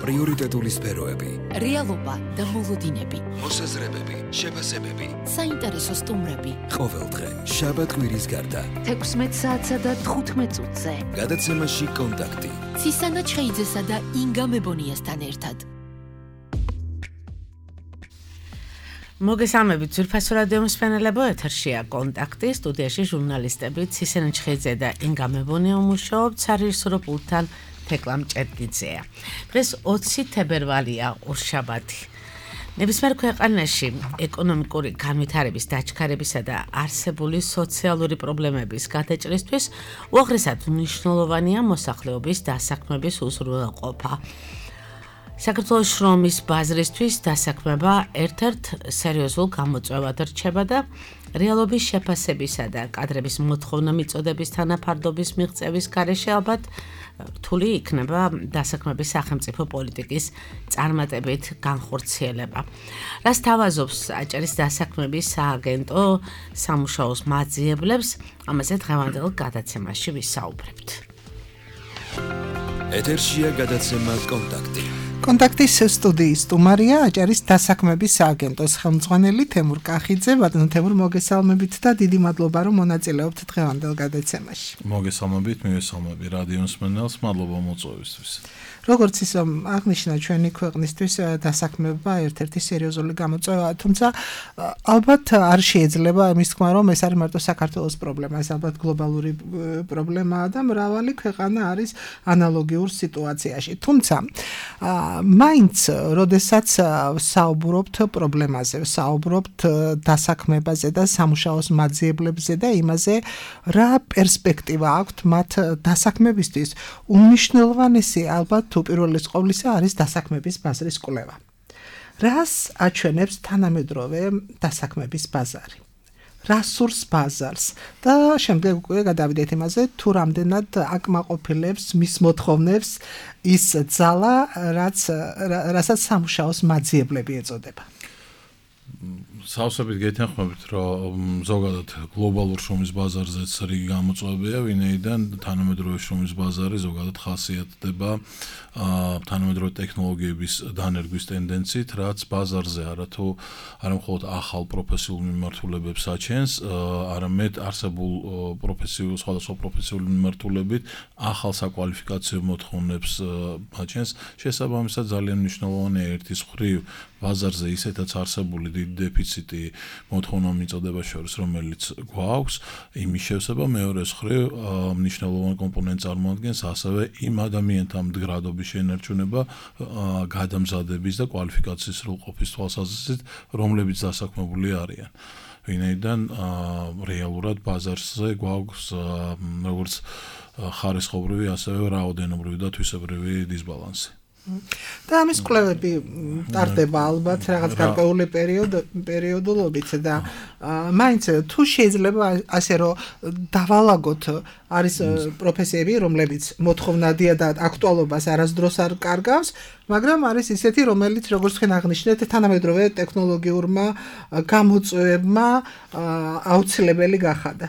პრიორიტეტული სფეროები, რეალობა და მოლოდინები, მოსაზრებები, შეფასებები, საინტერესო სტუმრები. ყოველდღე, შაბათ-კვირის გარდა, 16 საათსა და 15 წუთზე. გადაცემაში კონტაქტი. ცისანა ჩხეიძესა და ინგა მებონიასთან ერთად. მოგესალმებით ძვირფასო რადიო მსმენელებო, ეთერშია კონტაქტი, სტუდიაში ჟურნალისტები ცისანა ჩხეიძე და ინგა მებონია მუშაობთ, სარეჟისორო პულტთან თეკლა მჭედგიძეა. დღეს 20 თებერვალია, ორშაბათი. ნებისმიერ ქვეყანაში ეკონომიკური განვითარების დაჩქარებისა და არსებული სოციალური პრობლემების გადაჭრისთვის უაღრესად მნიშვნელოვანია მოსახლეობის დასაქმების უზრუნველყოფა. საქართველოს შრომის ბაზრისთვის დასაქმება ერთ-ერთ სერიოზულ გამოწვევად რჩება და რეალობის შეფასებისა და კადრების მოთხოვნა მიწოდების თანაფარდობის მიღწევის გარეშე ალბათ რთული იქნება დასაქმების სახელმწიფო პოლიტიკის წარმატებით განხორციელება. რას თავაზობს აჭარის დასაქმების სააგენტო სამუშაოს მაძიებლებს, ამაზე დღევანდელ გადაცემაში ვისაუბრებთ. ეთერშია გადაცემა კონტაქტი. კონტაქტის სტუდიის სტუმარია აჭარის დასაქმების სააგენტოს ხელმძღვანელი თემურ კახიძე. ბატონო თემურ, მოგესალმებით და დიდი მადლობა რომ მონაწილეობთ დღევანდელ გადაცემაში. მოგესალმებით, მივესალმები რადიო მსმენელს, მადლობა მოწვევისთვის. როგორც ის აღნიშნა ჩვენი ქვეყნისთვის დასაქმება ერთ-ერთი სერიოზული გამოწვევაა, თუმცა ალბათ არ შეიძლება იმის თქმა, რომ ეს არის მარტო საქართველოს პრობლემა, ეს ალბათ გლობალური პრობლემაა და მრავალი ქვეყანა არის ანალოგიურ სიტუაციაში. თუმცა მაინც, როდესაც საუბრობთ პრობლემაზე, საუბრობთ დასაქმებაზე და სამუშაოს მაძიებლებზე და იმაზე, რა პერსპექტივა აქვთ მათ დასაქმებისთვის, უმნიშვნელოვანესი ალბათ უპირველეს ყოვლისა არის დასაქმების ბაზრის კვლევა. რას აჩვენებს თანამედროვე დასაქმების ბაზარი? რა სურს ბაზარს და შემდეგ უკვე გადავიდეთ იმაზე, თუ რამდენად აკმაყოფილებს მის მოთხოვნებს ის ძალა, რასაც სამუშაოს მაძიებლები ეწოდება. სავსებით გეთანხმებით, რომ ზოგადად გლობალურ შრომის ბაზარზეც რიგი გამოწვევებია, ვინაიდან თანამედროვე შრომის ბაზარი ზოგადად ხასიათდება თანამედროვე ტექნოლოგიების დანერგვის ტენდენციით, რაც ბაზარზე არა მხოლოდ ახალ პროფესიულ მიმართულებებს აჩენს, არამედ არსებულ სხვადასხვა პროფესიული მიმართულებით ახალ საკვალიფიკაციო მოთხოვნებს აჩენს. შესაბამისად, ძალიან მნიშვნელოვანია ერთის მხრივ ბაზარზე ისეთაც არსებული დიდი დეფიციტი მოთხოვნა მიწოდება შორის, რომელიც გვაქვს, იმის შევსება, მეორეს მხრივ მნიშვნელოვანი კომპონენტი წარმოადგენს ასევე იმ ადამიანთა მდგრადობის შენარჩუნება გადამზადების და კვალიფიკაციის სრულყოფის თვალსაზრისით, რომლებიც დასაქმებული არიან. ვინაიდან რეალურად ბაზარზე გვაქვს როგორც ხარისხობრივი, ასევე რაოდენობრივი და თვისებრივი დისბალანსი. და ამის კვლევები ტარდება ალბათ რაღაც გარკვეული პერიოდულობით და მაინც თუ შეიძლება ასე რომ დავალაგოთ, არის პროფესიები, რომლებიც მოთხოვნადია და აქტუალობას არასდროს არ კარგავს, მაგრამ არის ისეთი, რომელიც როგორც თქვენ აღნიშნეთ, თანამედროვე ტექნოლოგიურმა გამოწვევებმა აუცილებელი გახადა.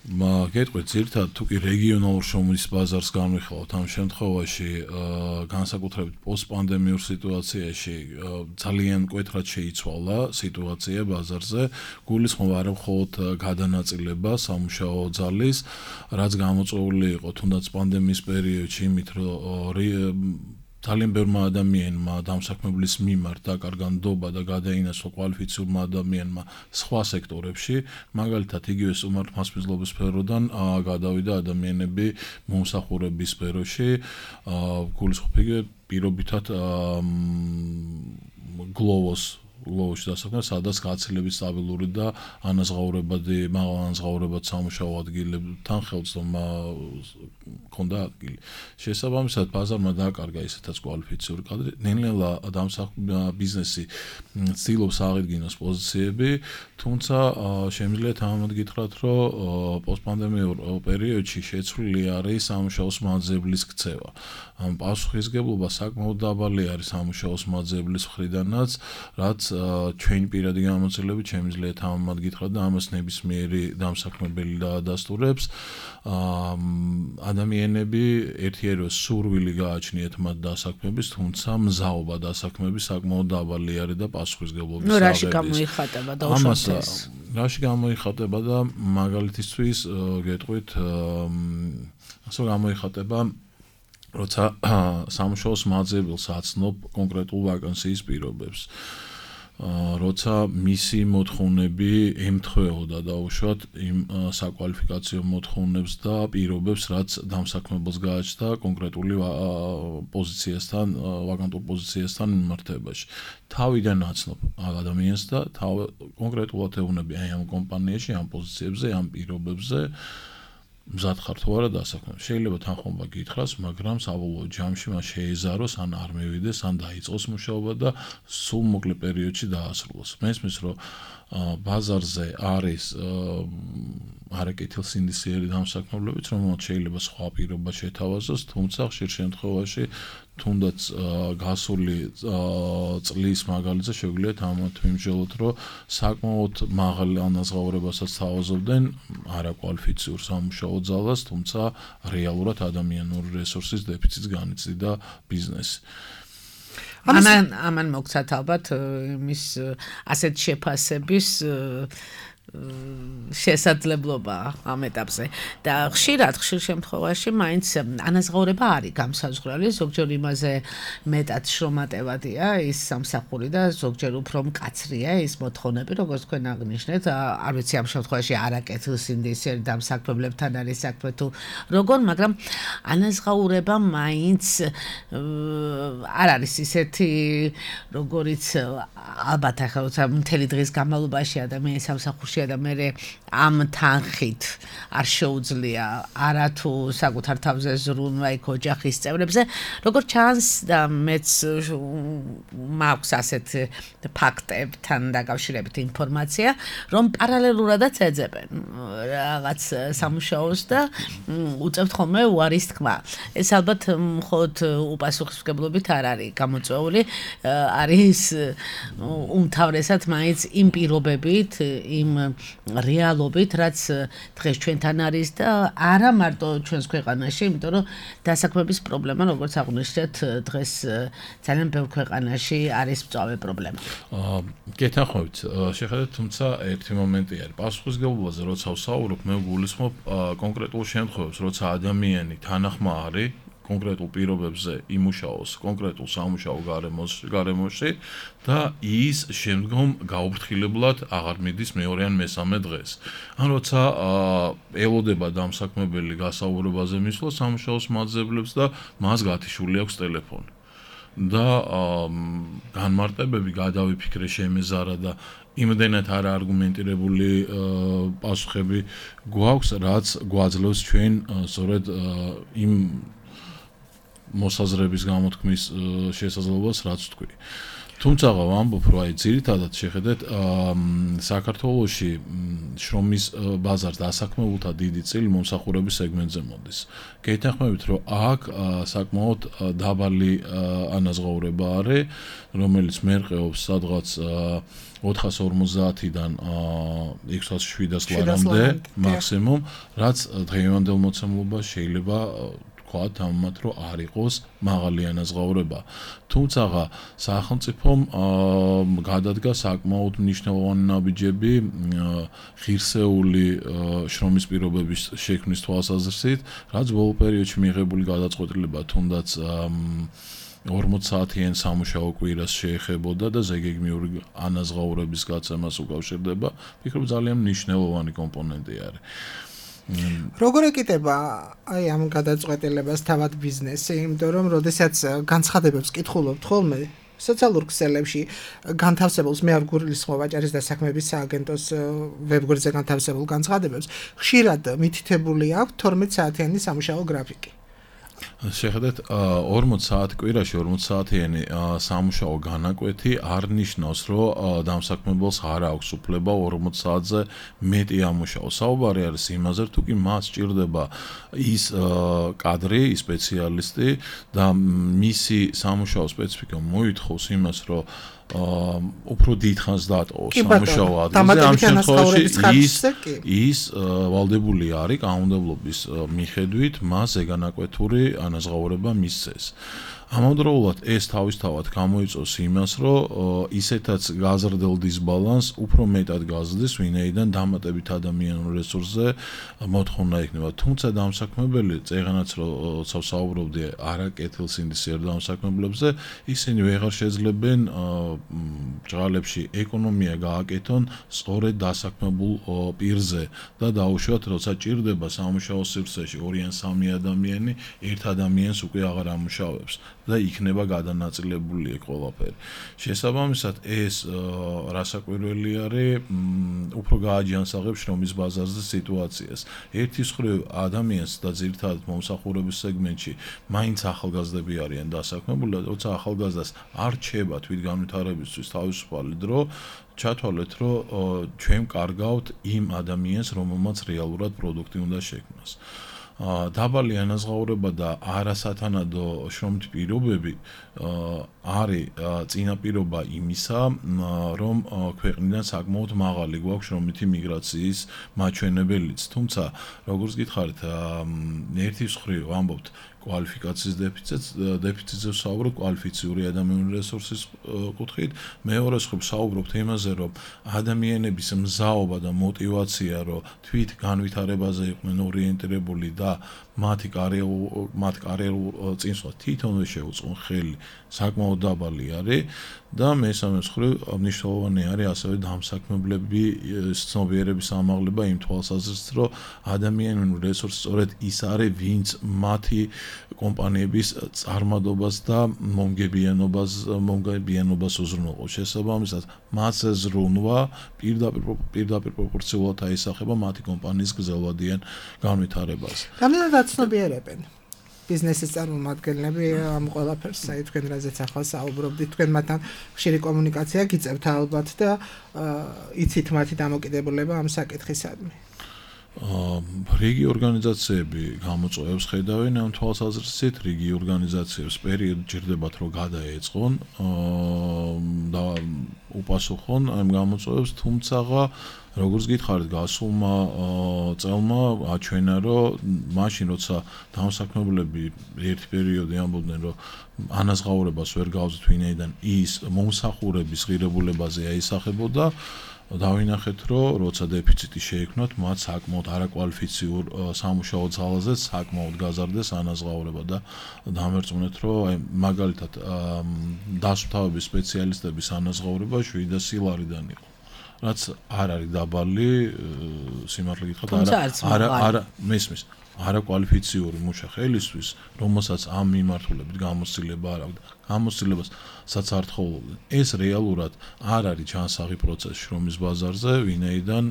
გეტყვით, ძირითადად თუ კი რეგიონალურ შრომის ბაზარს განვიხილავთ, ამ შემთხვევაში განსაკუთრებით პოსტპანდემიურ სიტუაციაში ძალიან მკვეთრად შეიცვალა სიტუაცია ბაზარზე. გულისხმობა არა მხოლოდ გადანაწილება სამუშაო ძალის, რაც გამოწვეული იყო თუნდაც პანდემიის პერიოდში, იმით რომ ძალიან ბევრმა ადამიანმა დამსაქმებლის მიმართ დაკარგა ნდობა და გადაინაცვლა კვალიფიციურმა ადამიანმა სხვა სექტორებში, მაგალითად იგივე სტუმართა მასპინძლობის სფეროდან გადავიდა ადამიანები მომსახურების სფეროში, გულისხმობ პირობითად გლოვოში დასაქმება, სადაც გაცილებით სტაბილური და მაღალ ანაზღაურებად სამუშაო ადგილებთან ხელმძღვანელობა ქონდა ადგილი. შესაბამისად, ბაზარმა დააკარგა ისეთაც კვალიფიციური კადრი, ნელ-ნელა ბიზნესი ცდილობს აღიდგინოს პოზიციები, თუმცა შემიძლია თამამად გითხრათ, რომ პოსტპანდემიურ პერიოდში შეცვლილი არის სამუშაოს მაძიებლის ქცევა. პასუხისგებლობა საკმაოდ დაბალი არის სამუშაოს მაძიებლის მხრიდანაც, რაც ჩვენი პირადი გამოცდილებით შემიძლია თამამად გითხრათ და ამას ნებისმიერი დამსაქმებელი დაადასტურებს. ადამიანები ერთიაროს სურვილი გააჩნიათ მათ დასაქმების, თუმცა მზაობა დასაქმების საკმაოდ დაბალი არის და პასუხისმგებლობის ნუ რაში გამოიხატება და უშუალოდ რაში გამოიხატება და მაგალითისთვის გეტყვით ასე გამოიხატება როცა სამუშაოს მაძიებელს აცნობ კონკრეტულ ვაკანსიის პირობებს. როცა მისი მოთხოვნები ემთხვეოდა დაუშვათ იმ საკვალიფიკაციო მოთხოვნებს და პირობებს, რაც დამსაქმებელს გააჩნდა კონკრეტული პოზიციასთან, ვაკანტურ პოზიციასთან მიმართებაში. თავიდან აცნობ ადამიანს და კონკრეტულად ეუბნები აი ამ კომპანიაში, ამ პოზიციებზე, ამ პირობებზე მზად ხარ თუ არა დასაქმების. შეიძლება თანხმობა გითხრას, მაგრამ საბოლოო ჯამში მას შეეზაროს, ან არ მივიდეს, ან დაიწყოს მუშაობა და სულ მოკლე პერიოდში დაასრულოს. მესმის, რომ ბაზარზე არის არაკეთილსინდისიერი დამსაქმებლობიც, რომელსაც შეიძლება სხვა პირობა შეთავაზოს, თუმცა ხშირ შემთხვევაში თუნდაც გასული წლის მაგალითზე შეგვიძლია თამამად ვიმსჯელოთ, რომ საკმაოდ მაღალ ანაზღაურებასაც თავაზობდნენ არაკვალიფიციურ სამუშაო ძალას, თუმცა რეალურად ადამიანური რესურსის დეფიციტს განიცდიდა ბიზნესი. ამან მოგცათ ალბათ იმის ასეთ შეფასების შესაძლებლობა ამ ეტაპზე და ხშირ შემთხვევაში მაინც ანაზღაურება არის გამსაზღვრელი, ზოგჯერ იმაზე მეტად შრომატევადია ის სამსახური და ზოგჯერ უფრო მკაცრია ის მოთხოვნები, როგორც თქვენ აღნიშნეთ, არ ვიცი ამ შემთხვევაში არაკეთილსინდისიერი დამსაქმებლებთან არის საქმე თუ როგორ, მაგრამ ანაზღაურება მაინც არ არის ისეთი, როგორიც ალბათ ახლა როცა მთელი დღის განმავლობაში ადამიანის სამსახურში და მე ამ თანხით არ შეუძლია არათუ საკუთარ თავზე ზრუნვა იქ ოჯახის წევრებზე, როგორც ჩანს და მეც მაქვს ასეთ ფაქტებთან დაკავშირებით ინფორმაცია, რომ პარალელურადაც ეძებენ რაღაც სამუშაოს და უწევთ ხოლმე უარის თქმა. ეს ალბათ მხოლოდ უპასუხისმგებლობით არ არის გამოწვეული, არის უმთავრესად მაინც იმ პირობებით, იმ რეალობით, რაც დღეს ჩვენთან არის და არა მარტო ჩვენს ქვეყანაში, იმიტომ რომ დასაქმების პრობლემა, როგორც აღნიშნეთ, დღეს ძალიან ბევრ ქვეყანაში არის მწვავე პრობლემა. გეთანხმებით, შეხედეთ, თუმცა ერთი მომენტი არის. პასუხისმგებლობაზე როცა ვსაუბრობ, მე გულისხმობ კონკრეტულ შემთხვევებს, როცა ადამიანი თანახმა არის კონკრეტულ პირობებზე იმუშაოს კონკრეტულ სამუშაო გარემოში და ის შემდგომ გაუფრთხილებლად აღარ მიდის მეორე ან მესამე დღეს. ან როცა ელოდება დამსაქმებელი გასაუბრებაზე მისვლა სამუშაოს მაძიებლებს და მას გათიშული აქვს ტელეფონი. და განმარტებები გადავიფიქრე შემეზარა და იმდენად არა არგუმენტირებული პასუხები გვაქვს, რაც გვაძლევს ჩვენ სწორედ იმ მოსაზრების გამოთქმის შესაძლებლობას, რაც თქვი. თუმცა ვამბობ, რომ აი ძირითადად შეხედეთ საქართველოში შრომის ბაზარს დასაქმებულთა დიდი წილი მომსახურების სეგმენტზე მოდის. გეთანხმებით, რომ აქ საკმაოდ დაბალი ანაზღაურება არის, რომელიც მერყეობს სადღაც 450-დან 600-700 ლარამდე მაქსიმუმ, რაც დღევანდელ მოცემულობას შეიძლება თამამად რომ არ იყოს მაღალი ანაზღაურება. თუმცა სახელმწიფომ გადადგა საკმაოდ მნიშვნელოვანი ნაბიჯები ღირსეული შრომის პირობების შექმნის თვალსაზრისით, რაც ბოლო პერიოდში მიღებული გადაწყვეტილება თუნდაც 40 საათიან სამუშაო კვირას შეეხებოდა და ზეგეგმიური ანაზღაურების გაცემას უკავშირდება. ვფიქრობ ძალიან მნიშვნელოვანი კომპონენტი არის. როგორ ეკიტება აი ამ გადაწყვეტილებას თავად ბიზნესი, იმიტომ რომ როდესაც განცხადებებს კითხულობთ ხოლმე სოციალურ ქსელებში განთავსებულს მე არ გულისხმობ ვაჭარის დასაქმების სააგენტოს ვებგვერდზე განთავსებულ განცხადებებს, ხშირად მითითებული აქვს 12 საათიანი სამუშაო გრაფიკი. შეხედეთ 40 საათი კვირაში 40 საათიანი სამუშაო განაკვეთი არ ნიშნავს, რომ დამსაქმებელს არ აქვს უფლება 40 საათზე მეტი ამუშაოს. საუბარი არის იმაზე, თუ კი მას სჭირდება ის კადრი, ის სპეციალისტი და მისი სამუშაო სპეციფიკა მოითხოვს იმას, რომ უფრო დიდხანს დატოვოს სამუშაო ადგილზე, ამ შემთხვევაში ის ვალდებული არის კანონმდებლობის მიხედვით მას ზეგანაკვეთური ანაზღაურება მისცეს. ამავდროულად ეს თავისთავად გამოიწვევს იმას, რომ ისეთაც გაზრდელ დისბალანსს უფრო მეტად გაზრდის, ვინაიდან დამატებით ადამიანურ რესურსზე მოთხოვნა იქნება. თუმცა დამსაქმებელი წეღანაც როცა საუბრობდი არაკეთილსინდისიერ დამსაქმებლებზე, ისინი ვეღარ შეძლებენ ბრალებში ეკონომია გააკეთონ სწორედ დასაქმებულ პირზე და დაუშვათ, როცა ჭირდება სამუშაო სივრცეში 2 ან 3 ადამიანი, ერთ ადამიანს უკვე აღარ ამუშავებს. და იქნება გადანაწილებული ყველაფერი. შესაბამისად, ეს რასაკვირველი არის, უფრო გააჯანსაღებს შრომის ბაზარზე სიტუაციას. ერთის მხრივ ადამიანს და ძირითადად მომსახურების სეგმენტში მაინც ახალგაზრდები არიან დასაქმებული, როცა ახალგაზრდას არ რჩება თვითგანვითარებისთვის თავისუფალი დრო, ჩათვალეთ, რომ ჩვენ კარგავთ იმ ადამიანს, რომელმაც რეალურად პროდუქტი უნდა შექმნას. დაბალი ანაზღაურება და არასათანადო შრომით პირობები არის წინაპირობა იმისა, რომ ქვეყნიდან საკმაოდ მაღალი გვაქვს შრომითი მიგრაციის მაჩვენებელიც. თუმცა, როგორც გითხარით, ერთის მხრივ ვამბობთ კვალიფიკაციის დეფიციტზე ვსაუბრობთ კვალიფიციური ადამიანური რესურსის კუთხით, მეორეს მხრივ ვსაუბრობთ იმაზე, რომ ადამიანების მზაობა და мотиваცია, რომ თვით განვითარებაზე იყვნენ ორიენტირებული და მათი კარიერულ წინსვლას თვითონვე შეუწყონ ხელი, საკმაოდ დაბალი არის და მესამე მხრივ მნიშვნელოვანი არის ასევე დამსაქმებლები ცნობიერების ამაღლება იმ თვალსაზრისით, რომ ადამიანური რესურსი სწორედ ის არის, ვინც მათი კომპანიების წარმადობას და მომგებიანობას უზრუნველყოფს. შესაბამისად, მასზე ზრუნვა პირდაპირ პროპორციულად აისახება მათი კომპანიის გრძელვადიან განვითარებაზე. რამდენად აცნობიერებენ ბიზნესის წარმომადგენლები ამ ყველაფერს, აი თქვენ რაზეც ახლა საუბრობდით, თქვენ მათთან ხშირი კომუნიკაცია გიწევთ ალბათ და იცით მათი დამოკიდებულება ამ საკითხისადმი. რიგი ორგანიზაციები გამოწვევებს ხედავენ ამ თვალსაზრისით, რიგი ორგანიზაციებს პერიოდი ჭირდებათ, რომ გადაეწყონ და უპასუხონ ამ გამოწვევებს, თუმცა როგორც გითხარით, გასულმა წელმა აჩვენა, რომ მაშინ როცა დამსაქმებლები ერთი პერიოდი ამბობდნენ, რომ ანაზღაურებას ვერ გავზით, ვინაიდან ის მომსახურების ღირებულებაზე აისახებოდა, დავინახეთ, რომ როცა დეფიციტი შეიქმნათ, მათ საკმაოდ არაკვალიფიციურ სამუშაო ძალაზე საკმაოდ გაზარდეს ანაზღაურება და დამერწმუნეთ, რომ აი მაგალითად დასუფთავების სპეციალისტების ანაზღაურება 700 ლარიდან იყო. რაც არ არის დაბალი, სიმართლე გითხრათ, არა მესმის არაკვალიფიციური მუშა ხელისთვის, რომელსაც ამ მიმართულებით გამოცდილება არ აქვს. გამოცდილებასაც არ თხოვლობდნენ. ეს რეალურად არ არის ჯანსაღი პროცესი შრომის ბაზარზე, ვინაიდან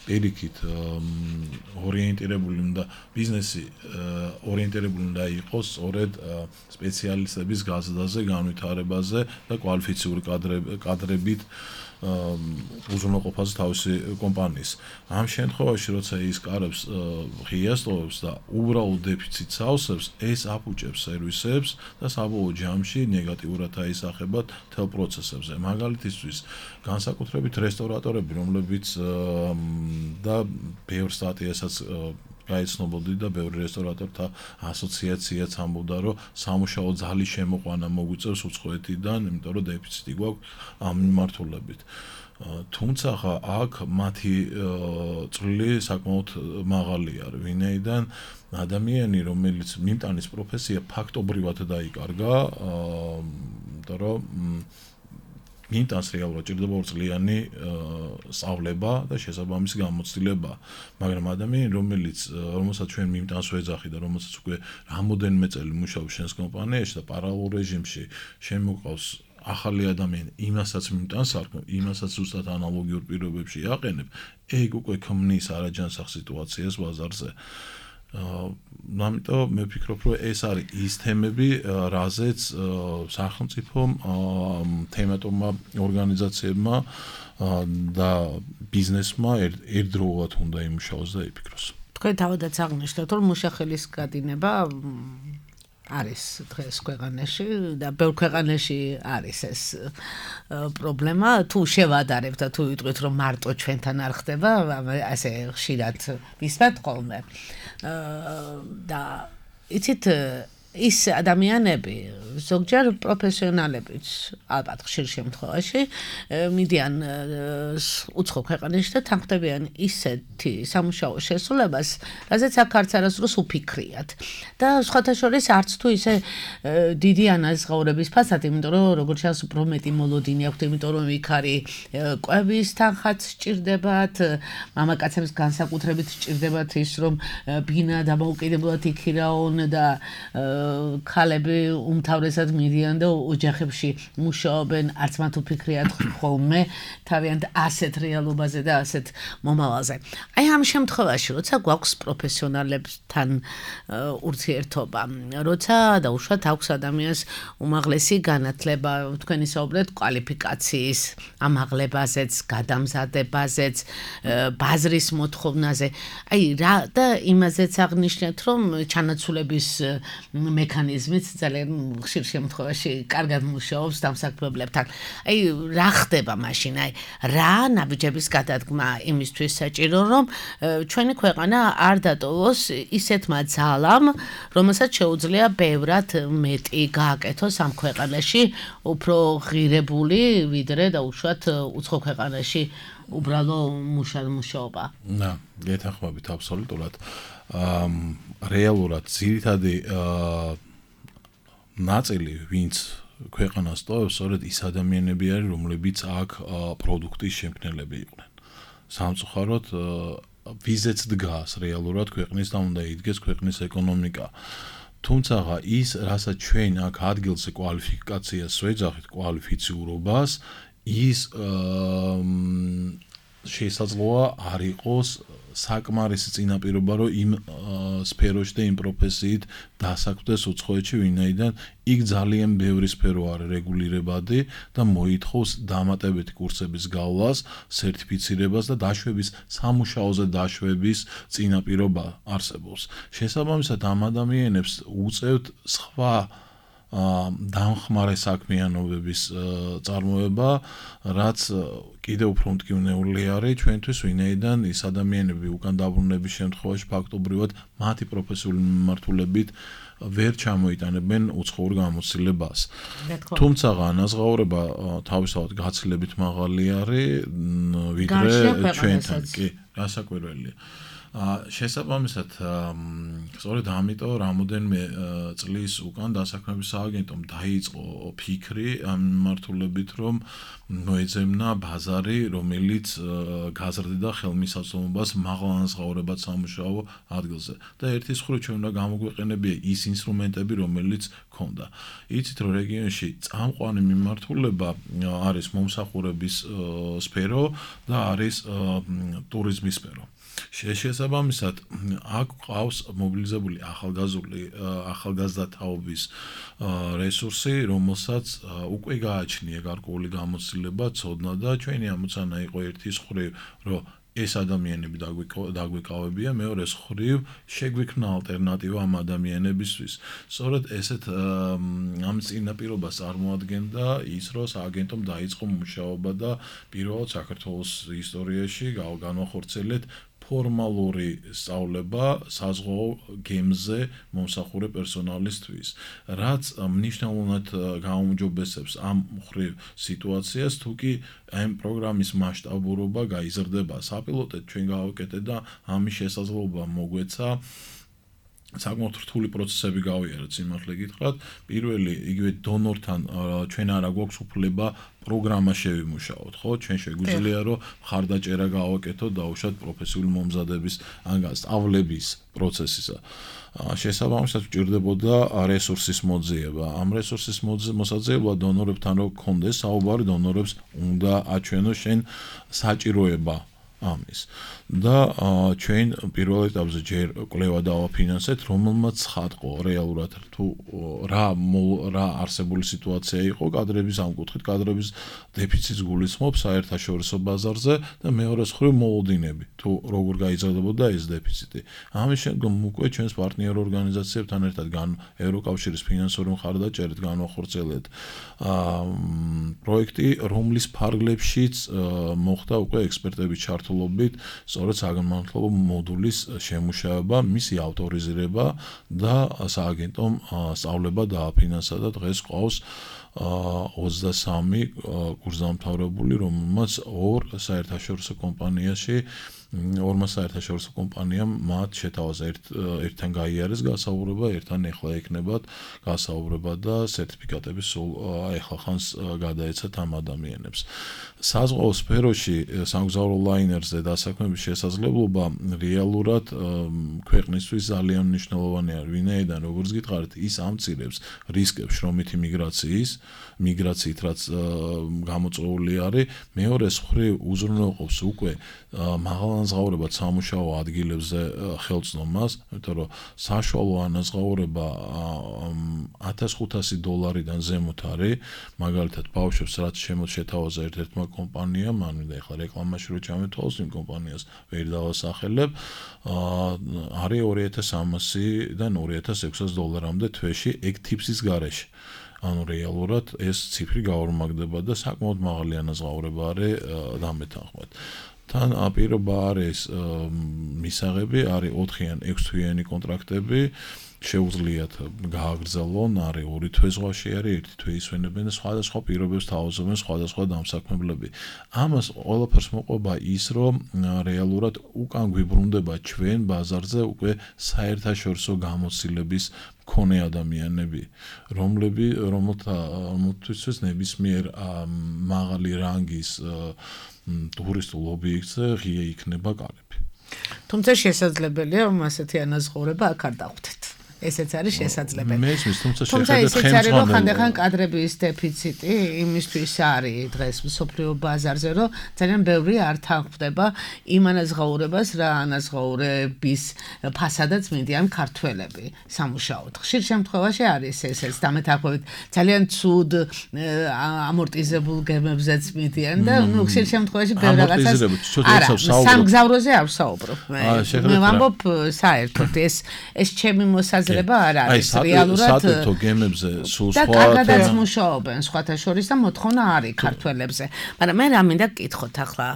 პირიქით ორიენტირებული უნდა ბიზნესი ორიენტირებული უნდა იყოს სწორედ სპეციალისტების გაზრდაზე, განვითარებაზე და კვალიფიციური კადრებით უზრუნველყოფაზე თავისი კომპანიის. ამ შემთხვევაში, როცა ის კარებს ღიას ტოვებს და უბრალოდ დეფიციტს ავსებს, ეს აფუჭებს სერვისებს და საბოლოო ჯამში ნეგატიურად აისახებათ მთელ პროცესებზე. მაგალითისთვის, განსაკუთრებით რესტორატორები, რომლებიც და ბევრ სტატიასაც გაიცნობოდი და ბევრი რესტორატორთა ასოციაციაც ამბობდა, რომ სამუშაო ძალის შემოყვანა მოგვიწევს უცხოეთიდან, იმიტომ რომ დეფიციტი გვაქვს ამ მიმართულებით. თუმცა აქ მათი წვლილი საკმაოდ მაღალი არის, ვინაიდან ადამიანი, რომელიც მიმტანის პროფესია ფაქტობრივად დაიკარგა, იმიტომ რომ მიმტანს რეალურად ჭირდება 2 წლიანი სწავლება და შესაბამისი გამოცდილება, მაგრამ ადამიანი, რომელსაც ჩვენ მიმტანს ვეძახი და რომელსაც უკვე რამოდენიმე წელი მუშაობს შენს კომპანიაში და პარალელურ რეჟიმში შემოყავს ახალი ადამიანი, იმასაც მიმტანს არქმევ, იმასაც ზუსტად ანალოგიურ პირობებში აყენებ, ეგ უკვე ქმნის არაჯანსაღ სიტუაციას ბაზარზე. ამიტომ მე ვფიქრობ, რომ ეს არის ის თემები, რაზეც სახელმწიფომ, თემატურმა ორგანიზაციებმა და ბიზნესმა ერთდროულად უნდა იმუშაოს და იფიქროს. თქვენ თავადაც აღნიშნეთ, რომ მუშახელის გადინება არის დღეს ქვეყანაში და ბევრ ქვეყანაში არის ეს პრობლემა. თუ შევადარებთ და თუ ვიტყვით, რომ მარტო ჩვენთან არ ხდება, ასე ხშირად ვისმენთ ხოლმე. და იცით ის ადამიანები, ზოგჯერ პროფესიონალებიც, ალბათ ხშირ შემთხვევაში, მიდიან უცხო ქვეყანაში და თანხმდებიან ისეთი სამუშაო შესრულებას, რაზეც აქ არც არასდროს უფიქრიათ. და სხვათა შორის არც თუ ისე დიდი ანაზღაურების ფასად, იმიტომ რომ როგორც ჩანს, უფრო მეტი მოლოდინი აქვთ, იმიტომ რომ იქ არის კვების თანხაც სჭირდებათ, მამაკაცებს განსაკუთრებით სჭირდებათ ის, რომ ბინა დამოუკიდებლად იქირაონ და ქალები უმთავრესად მიდიან და ოჯახებში მუშაობენ, არც მათ უფიქრიათ ხოლმე თავიანთ ასეთ რეალობაზე და ასეთ მომავალზე. აი ამ შემთხვევაში, როცა გვაქვს პროფესიონალებთან ურთიერთობა, როცა დაუშვათ აქვს ადამიანს უმაღლესი განათლება, თქვენ ისაუბრეთ კვალიფიკაციის ამაღლებაზეც, გადამზადებაზეც, ბაზრის მოთხოვნაზე. აი რა და იმაზეც აღნიშნეთ, რომ ჩანაცვლების მექანიზმიც ძალიან ხშირ შემთხვევაში კარგად მუშაობს დამსაქმებლებთან. აი რა ხდება მაშინ? აი რა ნაბიჯების გადადგმა იმისთვის საჭირო, რომ ჩვენი ქვეყანა არ დატოვოს ისეთმა ძალამ, რომელსაც შეუძლია ბევრად მეტი გააკეთოს ამ ქვეყანაში, უფრო ღირებული, ვიდრე დაუშვათ უცხო ქვეყანაში უბრალო მუშაობა. და გეთანხმებით აბსოლუტურად. რეალურად ძირითადი ნაწილი, ვინც ქვეყანას ტოვებს, სწორედ ის ადამიანები არის, რომლებიც აქ პროდუქტის შემქმნელები იყვნენ. სამწუხაროდ ვიზეც დგას რეალურად ქვეყნის და უნდა იდგეს ქვეყნის ეკონომიკა. თუმცა ის, რასაც ჩვენ აქ ადგილზე კვალიფიკაციას ვეძახით, კვალიფიციურობას, ის შესაძლოა არ იყოს საკმარისი წინაპირობა, რომ იმ სფეროში და იმ პროფესიით დასაქმდეს უცხოეთში, ვინაიდან იქ ძალიან ბევრი სფერო არის რეგულირებადი და მოითხოვს დამატებითი კურსების გავლას, სერტიფიცირებას და დაშვების, სამუშაოზე დაშვების წინაპირობა არსებობს. შესაბამისად, ამ ადამიანებს უწევთ სხვა დამხმარე საქმიანობების წარმოება, რაც კიდევ უფრო მტკივნეული არის ჩვენთვის, ვინაიდან ის ადამიანები უკან დაბრუნების შემთხვევაში ფაქტობრივად მათი პროფესიული მიმართულებით ვერ ჩამოიტანებენ უცხოურ გამოცდილებას. თუმცა ანაზღაურება თავისთავად გაცილებით მაღალი არის, ვიდრე ჩვენთან. კი, რასაკვირველია. შესაბამისად, სწორედ ამიტომ რამოდენიმე წლის უკან დასაქმების სააგენტომ დაიწყო ფიქრი ამ მიმართულებით, რომ მოეძებნა ბაზარი, რომელიც გაზრდიდა ხელმისაწვდომობას მაღალ ანაზღაურებად სამუშაო ადგილზე. და ერთის მხრივ ჩვენ უნდა გამოგვეყენებია ის ინსტრუმენტები, რომელიც ქონდა. იცით, რომ რეგიონში წამყვანი მიმართულება არის მომსახურების სფერო და არის ტურიზმის სფერო. შესაბამისად, აქ ყავს მობილიზებული ახალგაზრდა თაობის რესურსი, რომელსაც უკვე გააჩნია გარკვეული გამოცდილება, ცოდნა და ჩვენი ამოცანა იყო ერთის მხრივ, რომ ეს ადამიანები დაგვეკავებია, მეორეს მხრივ შეგვიქმნა ალტერნატივა ამ ადამიანებისთვის. სწორედ ესეთ ამ წინაპირობას წარმოადგენდა ის, რომ სააგენტომ დაიწყო მუშაობა და პირველად საქართველოს ისტორიაში განვახორციელეთ ფორმალური სწავლება საზღვაო გემზე მომსახურე პერსონალისთვის, რაც მნიშვნელოვნად გაუმჯობესებს ამ მხრივ სიტუაციას, თუკი ამ პროგრამის მასშტაბურობა გაიზრდება. საპილოტოდ ჩვენ გავაკეთეთ და ამის შესაძლებლობა მოგვეცა საკმაოდ რთული პროცესები გავიარეთ, სიმართლე გითხრათ. პირველი, იგივე დონორთან ჩვენ არა გვაქვს უფლება პროგრამა შევიმუშაოთ, ხო? ჩვენ შეგვიძლია რომ მხარდაჭერა გავაკეთოთ დაუშვათ პროფესიული მომზადების ან სწავლების პროცესისა. შესაბამისად გვჭირდებოდა რესურსის მოძიება. ამ რესურსის მოსაძიება დონორებთან რო გქონდეს საუბარი, დონორებს უნდა აჩვენოს შენ საჭიროება ამის. და ჩვენ პირველ ეტაპზე ჯერ კვლევა დავაფინანსეთ, რომელმაც ცხადყო რეალურად თუ რა არსებული სიტუაცია იყო კადრების ამ კუთხით, კადრების დეფიციტს გულისხმობს საერთაშორისო ბაზარზე და მეორე მხრივ მოლოდინები, თუ როგორ გაიზრდებოდა ეს დეფიციტი. ამის შემდგომ უკვე ჩვენს პარტნიორ ორგანიზაციებთან ერთად ევროკავშირის ფინანსური მხარდაჭერით განვახორციელებთ პროექტი, რომლის ფარგლებშიც მოხდა უკვე ექსპერტების ჩართულობით სწორედ საგანმანათლებლო მოდულის შემუშავება, მისი ავტორიზირება და სააგენტომ სწავლება დააფინანსა და დღეს ყავს 23 კურსდამთავრებული, რომელმაც ორმა საერთაშორისო კომპანიამ მათ შეთავაზა ერთთან გაიარეს გასაუბრება, ერთთან ეხლა ექნებათ გასაუბრება და სერტიფიკატები სულ ეხლა ხანს გადაეცათ ამ ადამიანებს. საზღვაო სფეროში სამგზავრო ლაინერზე დასაქმების შესაძლებლობა რეალურად ქვეყნისთვის ძალიან მნიშვნელოვანი არის. ვინაიდან როგორც გითხარით, ის ამცირებს რისკებს შრომითი მიგრაციით, რაც გამოწვეული არის. მეორე მხრივ უზრუნველყოფს უკვე მაღალანაზღაურებად სამუშაო ადგილებზე ხელწნომას, იმიტომ რომ საშუალო ანაზღაურება $1500 ზემოთ არის, მაგალითად ბავშვებს რაც შეთავაზა ერთ-ერთმა კომპანიამ, ანუ ეხლა რეკლამაში რო ჩამეთვალოს იმ კომპანიას ვერ დავასახელებ, არის $2300-დან $2600 თვეში ეგ ტიპის გარეშე. ანუ რეალურად ეს ციფრი გაორმაგდება და საკმაოდ მაღალი ანაზღაურება არის დამეთანხმად. თან პირობა არის მისაღები, არის 4-იან 6-თვიანი კონტრაქტები, შეუძლიათ გააგრძელონ, არის 2 თვე ზღვაში არის, 1 თვე ისვენებენ და სხვადასხვა პირობებს თავაზობენ სხვადასხვა დამსაქმებლები. ამას ყველაფერს მოყვება ის, რომ რეალურად უკან გვიბრუნდება ჩვენ ბაზარზე უკვე საერთაშორისო გამოცდილების მქონე ადამიანები, რომელთვისაც ნებისმიერ მაღალი რანგის ტურისტულ ობიექტზე ღია იქნება კალები. თუმცა შესაძლებელია, რომ ასეთი ანაზღაურება აქ არ დავხვდეთ. ესეც არის შესაძლებელი. თუმცა ისიც არის, რომ ხანდახან კადრების დეფიციტი იმისთვის არის დღეს მსოფლიო ბაზარზე, რომ ძალიან ბევრი არ თანხმდება იმ ანაზღაურებას, რა ანაზღაურების ფასადაც მინდიან ქართველები სამუშაოდ. ხშირ შემთხვევაში არის ესეც დამეთანხმებით ძალიან ცუდ ამორტიზებულ გემებზეც მინდიან და ხშირ შემთხვევაში ბევრ რაღაცას სამგზავროზე არ ვსაუბრობ. მე ვამბობ საერთოდ ეს ჩემი მოსაზრება არ არის რეალურად საერთო გემებზე სულ სხვა კარგადაც მუშაობენ სხვათა შორის და მოთხოვნა არის ქართველებზე. მაგრამ მე რა მინდა გკითხოთ ახლა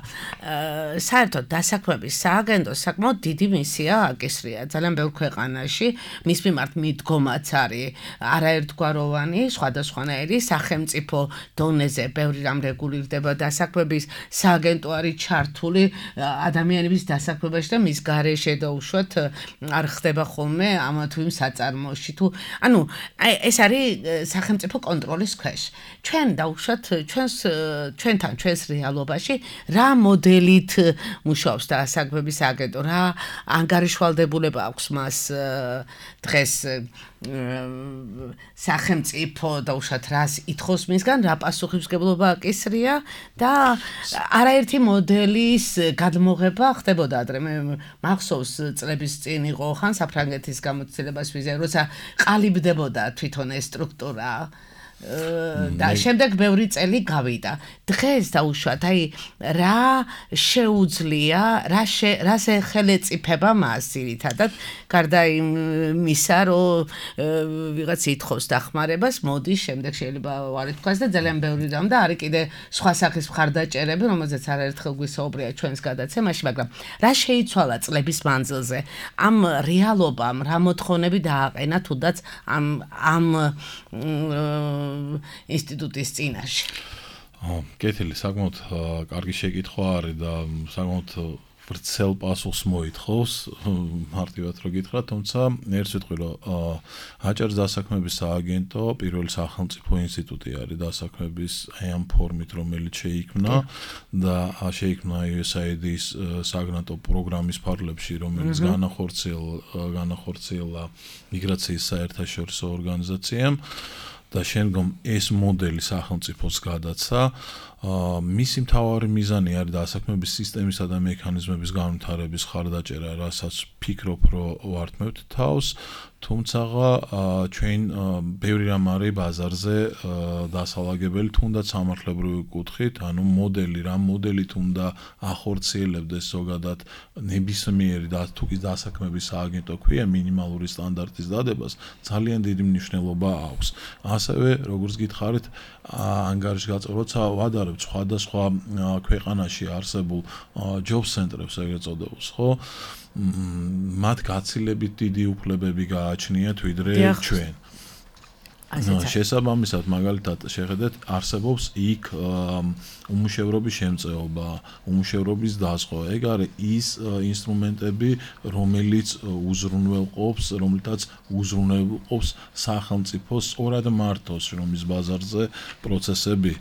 საერთოდ დასაქმების სააგენტოს საკმაოდ დიდი მისია აკისრია ძალიან ბევრ ქვეყანაში, მის მიმართ მიდგომაც არის არაერთგვაროვანი, სხვადასხვანაირი სახელმწიფო დონეზე ბევრი რამ რეგულირდება დასაქმების სააგენტო არის ჩართული ადამიანების დასაქმებაში და მის გარეშე და უშუალოდ არ ხდება ხოლმე ამა თუ იმ საწარმოში თუ ანუ ეს არის სახელმწიფო კონტროლის ქვეშ. ჩვენ დაუშვათ ჩვენთან ჩვენს რეალობაში რა მოდელით მუშაობს დასაქმების სააგენტო, რა ანგარიშვალდებულება აქვს მას დღეს სახელმწიფო დაუშვათ რას ითხოვს მისგან, რა პასუხისმგებლობა აკისრია და არაერთი მოდელის გადმოღება ხდებოდა ადრე. მე მახსოვს წლების წინ იყო ხან საფრანგეთის გამოცდილებას ვიზა, როცა ყალიბდებოდა თვითონ ეს სტრუქტურა და შემდეგ ბევრი წელი გავიდა. დღეს დაუშვათ, აი რა შეუძლია, რას ეხელეწიფება მას ძირითადად, გარდა იმისა, რომ ვიღაც ითხოვს დახმარებას, მოდის, შემდეგ შეიძლება ვარ ითქვას და ძალიან ბევრი რამ და არის კიდე სხვა სახის მხარდაჭერები, რომელზეც არაერთხელ გვისაუბრია ჩვენს გადაცემაში, მაგრამ რა შეიცვალა წლების მანძილზე ამ რეალობამ, რა მოთხოვნები დააყენა თუნდაც ამ ინსტიტუტის წინაშე. კეთილი, საკმაოდ კარგი შეკითხვა არის და საკმაოდ ვრცელ პასუხს მოითხოვს, მარტივად რო გითხრათ, თუმცა ერთ ვიტყვი, რომ აჭარის დასაქმების სააგენტო პირველი სახელმწიფო ინსტიტუტი არის დასაქმების აი ამ ფორმით, რომელიც შეიქმნა და შეიქმნა USAID-ის საგრანტო პროგრამის ფარგლებში, რომელიც განახორციელა მიგრაციის საერთაშორისო ორგანიზაციამ და შემდგომ ეს მოდელი სახელმწიფოს გადაცა მისი მთავარი მიზანი არის დასაქმების სისტემისა და მექანიზმების განვითარების ხარდაჭერა, რასაც ფიქრობ, რომ ვართმევთ თავს, თუმცა ჩვენ ბევრი რამ არის ბაზარზე დასალაგებელი, თუნდაც სამართლებრივი კუთხით, ანუ რამ მოდელით უნდა ახორციელებდეს ზოგადად ნებისმიერი თუ კი დასაქმების სააგენტო ქვია მინიმალური სტანდარტის დადებას, ძალიან დიდი მნიშვნელობა აქვს. ასევე, როგორც გითხარით, ანგარიშგაწევრ, როცა ვადარებთ სხვადასხვა ქვეყანაში არსებულ ჯობ ცენტრებს, ეგრეთ წოდებულს, ხო? მათ გაცილებით დიდი უფლებები გააჩნიათ ვიდრე ჩვენ. შესაბამისად, მაგალითად, შეხედეთ, არსებობს იქ უმუშევრობის შემწეობა, უმუშევრობის დაზღვა. ეგ არის ის ინსტრუმენტები, რომელთაც უზრუნველყოფს სახელმწიფოს სწორად მართოს შრომის ბაზარზე პროცესები.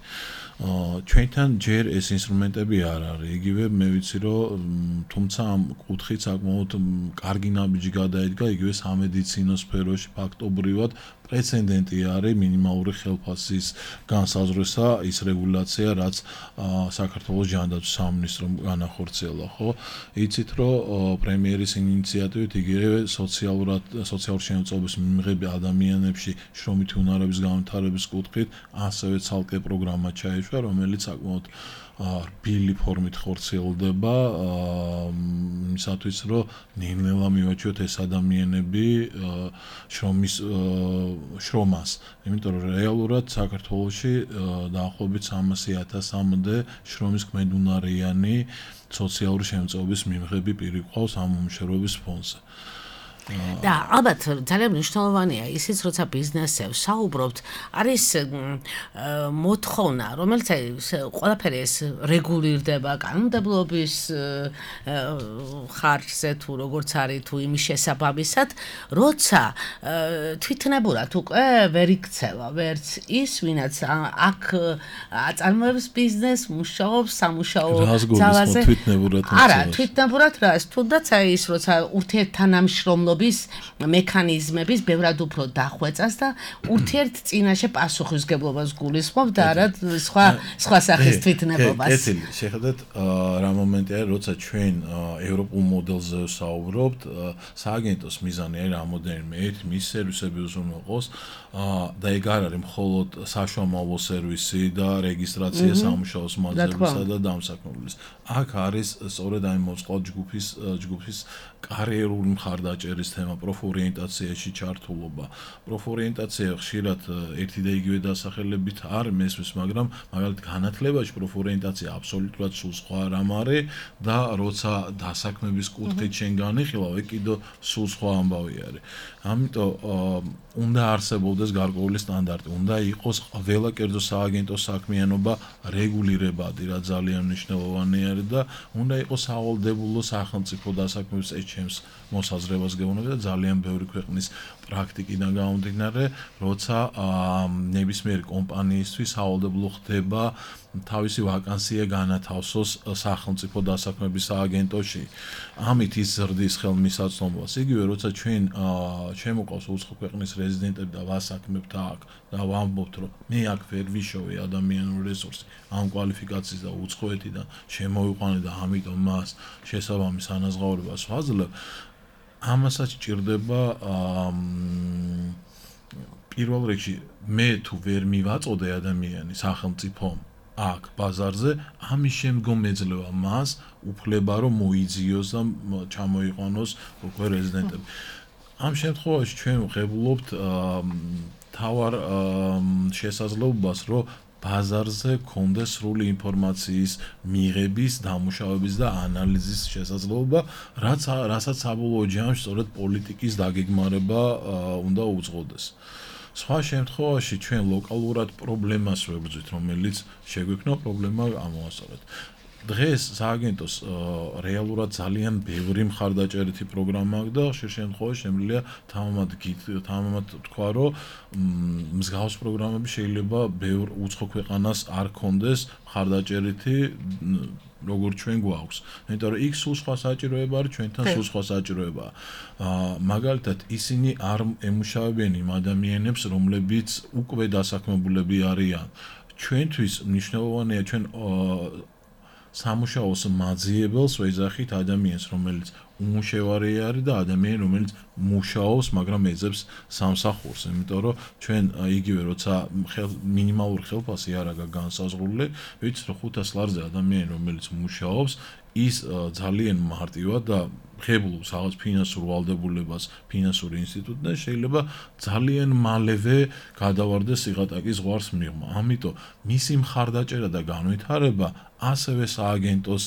ჩვენთან ჯერ ეს ინსტრუმენტები არ არის. იგივე მე ვიცი, რომ თუმცა ამ კუთხით საკმაოდ კარგი ნაბიჯი გადაედგა იგივე სამედიცინო სფეროში ფაქტობრივად პრეცედენტი არის მინიმალური ხელფასის განსაზღვრისა ის რეგულაცია, რაც საქართველოს ჯანდაცვის სამინისტრომ განახორციელა, ხო? იცით, რომ პრემიერის ინიციატივით იგივე სოციალური შემოწმების მიღები ადამიანებში შრომითი უნარების განვითარების კუთხით ასევე ცალკე პროგრამა ჩაეშვა, რომელიც საკმაოდ რბილი ფორმით ხორციელდება იმისათვის, რომ ნელ-ნელა მივაჩვიოთ ეს ადამიანები შრომას. იმიტომ რომ რეალურად საქართველოში დაახლოებით 300,000-მდე შრომის ქმედუნარიანი სოციალური შემოწმების მიღები პირი ყავს ამ უმუშევრობის ფონზე. და ალბათ ძალიან მნიშვნელოვანია ისიც, როცა ბიზნესებს საუბრობთ, არის მოთხოვნა, რომელიც ყველაფერი ეს რეგულირდება კანონმდებლობის ხარჯზე თუ როგორც არის თუ იმის შესაბამისად, როცა თვითნებურად უკვე ვერ იქცევა ვერც ის, ვინაც აქ აწარმოებს ბიზნესს, მუშაობს სამუშაო ძალაზე. არა, თვითნებურად რა, თუნდაც აი ის, როცა ურთიერთთანამშრომლობა მექანიზმების ბევრად უფრო დახვეწას და ურთიერთ წინაშე პასუხისმგებლობას გულისხმობ და არა სხვა სახის თვითნებობას. კეთილი, შეხედეთ რა მომენტია, როცა ჩვენ ევროპულ მოდელზე ვსაუბრობთ, სააგენტოს მიზანი არის რამოდენიმე მის სერვისები უზრუნველყოს და ეგ არ არის მხოლოდ საშუალო სერვისი და რეგისტრაცია სამუშაოს მაძებისა და დამსაქმებლის. აქ არის სწორედ აი მოწყალ ჯგუფის კარიერული მხარდაჭერის თემა, პროფორიენტაციაში ჩართულობა. პროფორიენტაცია ხშირად ერთი და იგივე დასახელებით არ მესმის, მაგრამ მაგალითად განათლებაში პროფორიენტაცია აბსოლუტურად სულ სხვა რამ არის და როცა დასაქმების კუთხით შენ განიხილავ, ეგ კიდევ სულ სხვა ამბავი არის. ამიტომ უნდა არსებობდეს გარკვეული სტანდარტი, უნდა იყოს ყველა კერძო სააგენტო საქმიანობა რეგულირებადი, რა ძალიან მნიშვნელოვანი არის და უნდა იყოს სავალდებულო სახელმწიფო დასაქმების ეჩემს მოსაზრებას გეუბნება და ძალიან ბევრი ქვეყნის პრაქტიკიდან გამომდინარე, როცა ნებისმიერი კომპანიისთვის სავალდებულო ხდება თავისი ვაკანსია განათავსოს სახელმწიფო დასაქმების სააგენტოში. ამით ის ზრდის ხელმისაწვდომობას. იგივე როცა ჩვენ შემოყავს უცხო ქვეყნის რეზიდენტები და ვასაქმებთ აქ და ვამბობთ, რომ მე აქ ვერ ვიშოვე ადამიანური რესურსი ამ კვალიფიკაციის და უცხოეთიდან შემოვიყვანე და ამიტომ მას შესაბამის ანაზღაურებას ვაძლევ. ამასაც ჭირდება პირველ რიგში მე თუ ვერ მივაწოდე ადამიანი სახელმწიფომ აქ ბაზარზე, ამის შემდგომ ეძლევა მას უფლება რომ მოიძიოს და ჩამოიყვანოს უკვე რეზიდენტები. ამ შემთხვევაში ჩვენ ვღებულობთ თავარ შესაძლებლობას, რომ ბაზარზე კონდეს სრული ინფორმაციის მიღების, დამუშავების და ანალიზის შესაძლებლობა, რასაც საბოლოო ჯამში სწორედ პოლიტიკის დაგეგმარება უნდა უძღოდეს. სხვა შემთხვევაში ჩვენ ლოკალურად პრობლემას ვებრძვით, რომელიც შეგვექნა პრობლემა ამოასწორეთ. დღეს სააგენტოს რეალურად ძალიან ბევრი მხარდაჭერითი პროგრამა აქვს და ხშირ შემთხვევაში შემიძლია თამამად თქვა, რომ მსგავს პროგრამები შეიძლება ბევრ უცხო ქვეყანას არ ქონდეს მხარდაჭერითი როგორც ჩვენ გვაქვს. იმიტომ რომ იქ სულ სხვა საჭიროება არის, ჩვენთან სულ სხვა საჭიროებაა. მაგალითად, ისინი არ ემუშავებენ იმ ადამიანებს, რომლებიც უკვე დასაქმებულები არიან. ჩვენთვის მნიშვნელოვანია ჩვენ სამუშაოს მაძიებელს ვეძახით ადამიანს, რომელიც უმუშევარი არის და ადამიანი, რომელიც მუშაობს, მაგრამ ეძებს სამსახურს, იმიტომ რომ ჩვენ იგივე როცა მინიმალური ხელფასი არ აქვს განსაზღვრული, ვიცით რომ 500 ლარზე ადამიანი, რომელიც მუშაობს, ის ძალიან მარტივად და ღებულობს რაღაც ფინანსურ ვალდებულებას, ფინანსური ინსტიტუტიდან შეიძლება ძალიან მალევე გადავარდეს სიღატაკის ზღვარს მიღმა. ამიტომ მისი მხარდაჭერა და განვითარება ასევე სააგენტოს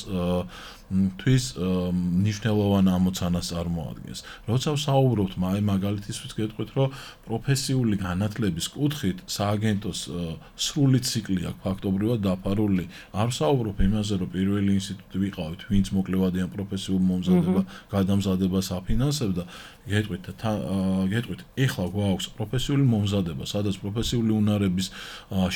თვის მნიშვნელოვან ამოცანას წარმოადგენს. როცა ვსაუბრობთ მაგალითისთვის გეტყვით, რომ პროფესიული განათლების კუთხით სააგენტოს სრული ციკლი აქვს ფაქტობრივად დაფარული. არ ვსაუბრობ იმაზე, რომ პირველი ინსტიტუტი ვიყავით, ვინც მოკლევადიან პროფესიულ მომზადება, გადამზადებას აფინანსებდა. გეტყვით, ეხლა გვაქვს პროფესიული მომზადება, სადაც პროფესიული უნარების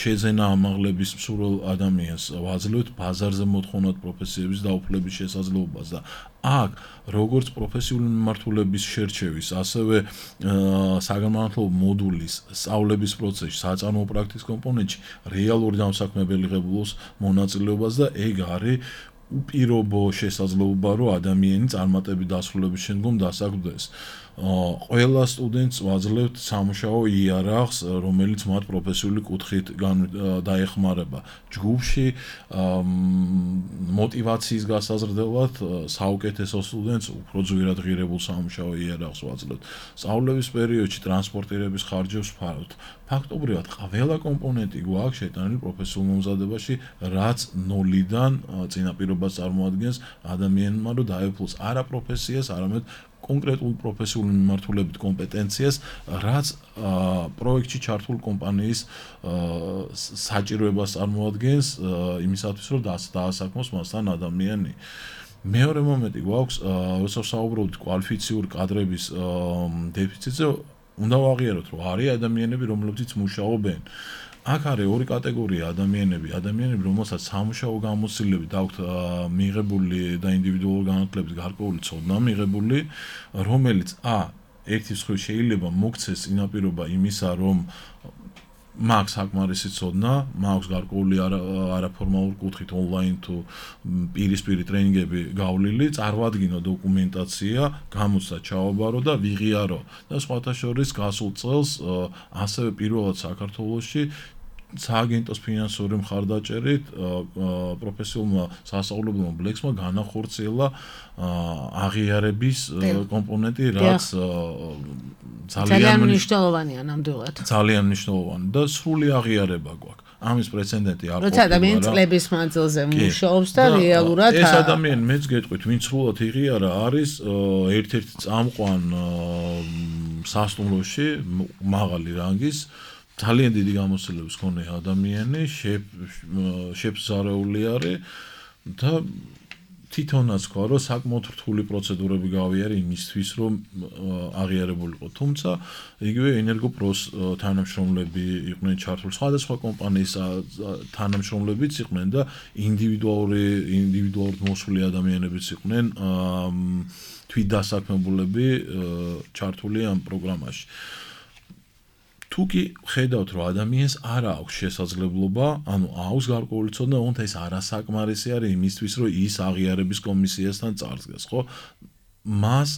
შეძენა ამაღლების მსურველ ადამიანს ვაძლევთ ბაზარზე მოთხოვნად პროფესიების დაუფლების შესაძლებლობას და აქ როგორც პროფესიული მიმართულების შერჩევის, ასევე საგანმანათლებლო მოდულის სწავლების პროცესში, საწარმოო პრაქტიკის კომპონენტში რეალური დამსაქმებელი ღებულობს მონაწილეობას და ეგ არის უპირობო შესაძლებლობა, რომ ადამიანი წარმატებით დასრულების შემდგომ დასაქმდეს. ყველა სტუდენტს ვაძლევთ სამუშაო იარაღს, რომელიც მათ პროფესიული კუთხით დაეხმარება. ჯგუფში მოტივაციის გასაზრდელად საუკეთესო სტუდენტს უფრო ძვირად ღირებულ სამუშაო იარაღს ვაძლევთ. სწავლების პერიოდში ტრანსპორტირების ხარჯებს ვფარავთ. ფაქტობრივად ყველა კომპონენტი გვაქვს შეტანილი პროფესიულ მომზადებაში, რაც 0-დან წინაპირობას წარმოადგენს ადამიანმა, რომ დაეუფლოს არა პროფესიას, არამედ კონკრეტულ პროფესიული მიმართულებით კომპეტენციას, რაც პროექტში ჩართულ კომპანიის საჭიროებას წარმოადგენს იმისათვის, რომ დაასაქმოს მასთან ადამიანი. მეორე მომენტი გვაქვს, როცა ვსაუბრობთ კვალიფიციური კადრების დეფიციტზე, უნდა ვაღიაროთ, რომ არის ადამიანები, რომლებიც მუშაობენ. აქ არის ორი კატეგორია ადამიანები, რომელსაც სამუშაო გამოცდილებით აქვთ მიღებული და ინდივიდუალური განათლების გარკვეული ცოდნა მიღებული, რომელიც ერთი მხრივ შეიძლება მოქცეს წინაპირობა იმისა, რომ მაქვს საკმარისი ცოდნა, მაქვს გარკვეული არაფორმალური კუთხით ონლაინ თუ პირისპირი ტრენინგები გავლილი, წარმოადგინო დოკუმენტაცია, გამოცდა ჩავაბარო და ვიღიარო და სხვათა შორის გასულ წელს ასევე პირველად საქართველოში სააგენტოს ფინანსური მხარდაჭერით პროფესიულმა სასწავლებელმა ბლექსმა განახორციელა აღიარების კომპონენტი, რაც ძალიან მნიშვნელოვანია ნამდვილად. ძალიან მნიშვნელოვანი და სრული აღიარება გვაქვს. ამის პრეცედენტი არ ყოფილა. როცა ადამიანი წლების მანძილზე მუშაობს და რეალურად ეს ადამიანი მეც გეტყვით, ვინც სრულად იღიარა, არის ერთ-ერთი წამყვან სასტუმროში მაღალი რანგის ძალიან დიდი გამოცდილების მქონე ადამიანი, შეფს ზარეული არის და თვითონაც თქვა, რომ საკმაოდ რთული პროცედურები გავიარე იმისთვის, რომ აღიარებულიყო. თუმცა იგივე ენერგოპროს თანამშრომლები იყვნენ ჩართული, სხვადასხვა კომპანიის თანამშრომლებიც იყვნენ და ინდივიდუალურად მოსული ადამიანებიც იყვნენ თვითდასაქმებულები ჩართული ამ პროგრამაში. თუკი ხედავთ, რომ ადამიანს არ აქვს შესაძლებლობა, ანუ აქვს გარკვეული ცოდნა, თუმცა ეს არასაკმარისი არის იმისთვის, რომ ის აღიარების კომისიასთან წარსდგეს, ხო? მას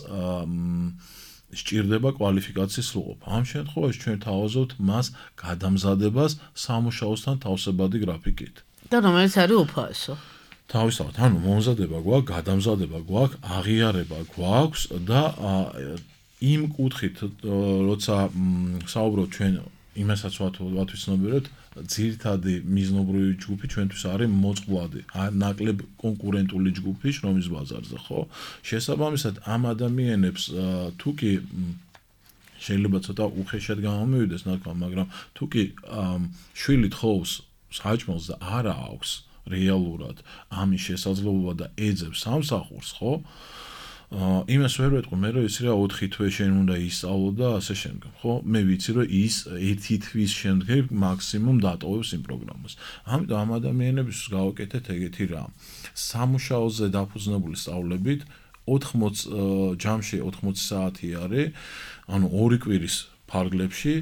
სჭირდება კვალიფიკაციის სრულყოფა. ამ შემთხვევაში ჩვენ თავაზობთ მას გადამზადებას სამუშაოსთან თავსებადი გრაფიკით. და რომელიც არის უფასო. თავისთავად, ანუ მომზადება გვაქვს, გადამზადება გვაქვს, აღიარება გვაქვს და იმ კუთხით, როცა საუბრობთ ჩვენ იმასაც ვათვისნობიერებთ, ძირითადი მიზნობრივი ჯგუფი ჩვენთვის არის მოწყვლადი, ნაკლებ კონკურენტული ჯგუფი შრომის ბაზარზე, ხო? შესაბამისად, ამ ადამიანებს თუკი შეიძლება ცოტა უხეშად გამომივიდეს ნათქვა, მაგრამ თუკი შვილი თხოვს საჭმელს და არა აქვს რეალურად ამის შესაძლებლობა და ეძებს სამსახურს, ხო? იმას ვერ ვეტყვი, მე რომ იცი რა 4 თვე შენ უნდა ისწავლო და ასე შემდგომ, ხო? მე ვიცი რომ ის 1 თვის შემდგომ მაქსიმუმ დატოვებს იმ პროგრამას. ამიტომ ამ ადამიანებს გავაკეთეთ ეგეთი რამ. სამუშაოზე დაფუძნებული სწავლებით 80 ჯამში 80 საათი არის, ანუ 2 კვირის ფარგლებში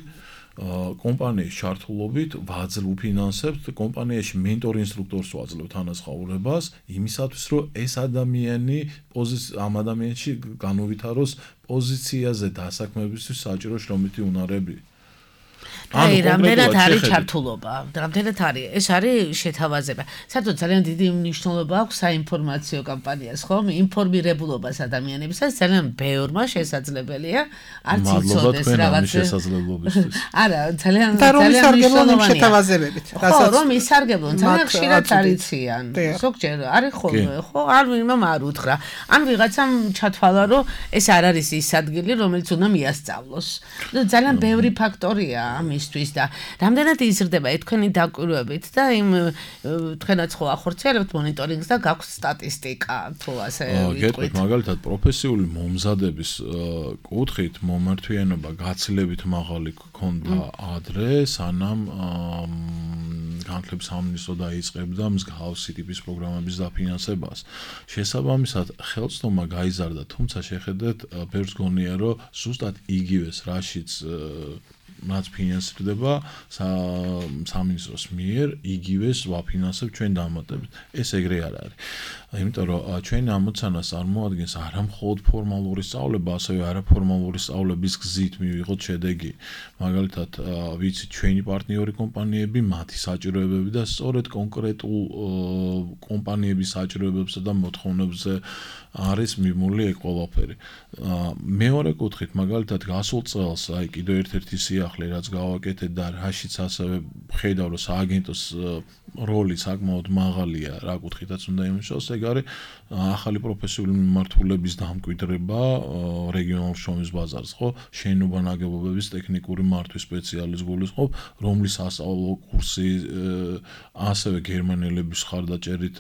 კომპანიის ჩართულობით ვფინანსებთ კომპანიაში მენტორ ინსტრუქტორს ვაძლევთ თანასწორობას იმისათვის რომ ეს ადამიანი ამ ადამიანში განუვითაროს პოზიციაზე დასაქმებისთვის საჭირო შრომითი უნარები. აი, რამდენად არის ჩართულობა? რამდენად არის? ეს არის შეთავაზება. საერთოდ ძალიან დიდი მნიშვნელობა აქვს საინფორმაციო კამპანიას, ხომ? ინფორმირებულობას ადამიანებისას ძალიან ბევრმა შესაძლებელია არც იცოდეს რაღაც შესაძლებლობისთვის. არა, ძალიან მნიშვნელოვანია შეთავაზებებით. ხო, რომ ისარგებლონ, ძალიან ხშირად არიციან. ზოგჯერ არის ხოლმე, ხო? არ ვინმე არ უთხრა. ან ვიღაცამ ჩათვალა, რომ ეს არ არის ის ადგილი, რომელიც უნდა მიასწავლოს. ძალიან ბევრი ფაქტორია ამისთვის და რამდენად იზრდება თქვენი დაკვირვებით და იმ თქვენაც ხო ახორციელებთ მონიტორინგს და გაქვთ სტატისტიკა თუ ასე ვიტყვით. მაგალითად პროფესიული მომზადების კუთხით მომართვიანობა გაცილებით მაღალი ქონდა ადრე, სანამ განათლების სამინისტრო დაიწყებდა მსგავსი ტიპის პროგრამების დაფინანსებას. შესაბამისად, ხელმძღვანელობა გაიზარდა, თუმცა შეხედეთ, ბევრს გონია, რომ ზუსტად იგივეს რაშიც რაც ფინანსდება სამინისტროს მიერ, იგივეს ვაფინანსებ ჩვენ დამატებით. ეს ეგრე არ არის. იმიტომ რომ ჩვენი ამოცანას წარმოადგენს არა მხოლოდ ფორმალური სწავლება, ასევე არაფორმალური სწავლების გზით მივიღოთ შედეგი. მაგალითად, ვიცით ჩვენი პარტნიორი კომპანიები, მათი საჭიროებები და სწორედ კონკრეტულ კომპანიების საჭიროებებსა და მოთხოვნებზე არის მიმული ეგ ყველაფერი. მეორე კუთხით, მაგალითად, გასულ წელს, აი კიდევ ერთ-ერთი სიახლე, რაც გავაკეთეთ და რაშიც ასევე ხედავ, რომ სააგენტოს როლი საკმაოდ მაღალია, რა კუთხითაც უნდა იმუშაოს, ეგ არის ახალი პროფესიული მიმართულების დამკვიდრება რეგიონულ შრომის ბაზარს, ხო? შენობა ნაგებობების ტექნიკური მართვის სპეციალისტ გულისხმობ, რომლის სასწავლო კურსი ასევე გერმანელების ხარდაჭერით